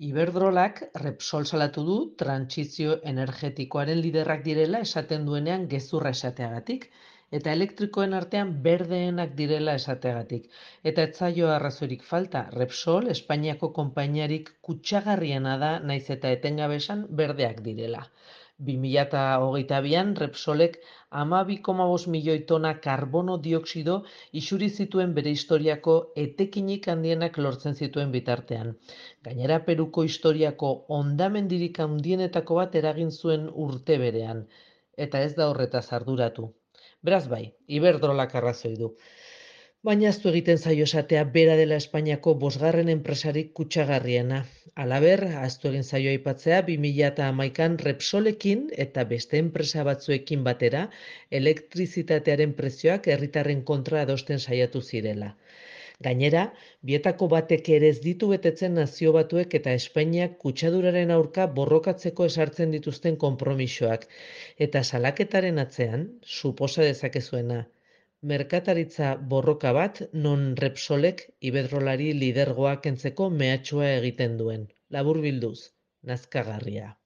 Iberdrolak Repsol salatu du trantsizio energetikoaren liderrak direla esaten duenean gezurra esateagatik, eta elektrikoen artean berdeenak direla esateagatik. Eta ez zaio arrazoirik falta, Repsol Espainiako konpainiarik kutsagarriena da naiz eta etengabe esan berdeak direla. 2022an Repsolek 12,5 milioi tona karbono dioxido isuri zituen bere historiako etekinik handienak lortzen zituen bitartean. Gainera, Peruko historiako hondamendirik handienetako bat eragin zuen urte berean, eta ez da horretaz arduratu. Beraz bai, Iberdrolak arrazoi du. Baina ahaztu egiten zaio esatea bera dela Espainiako bosgarren enpresarik kutsagarriena. Halaber, ahaztu egin zaio aipatzea 2011an Repsolekin eta beste enpresa batzuekin batera elektrizitatearen prezioak herritarren kontra adosten saiatu zirela. Gainera, bietako batek ere ez ditu betetzen Nazio Batuek eta Espainiak kutsaduraren aurka borrokatzeko esartzen dituzten konpromisoak. Eta salaketaren atzean, suposa dezakezuena, merkataritza borroka bat non Repsolek Iberdrolari lidergoa kentzeko mehatxua egiten duen. Laburbilduz, nazkagarria.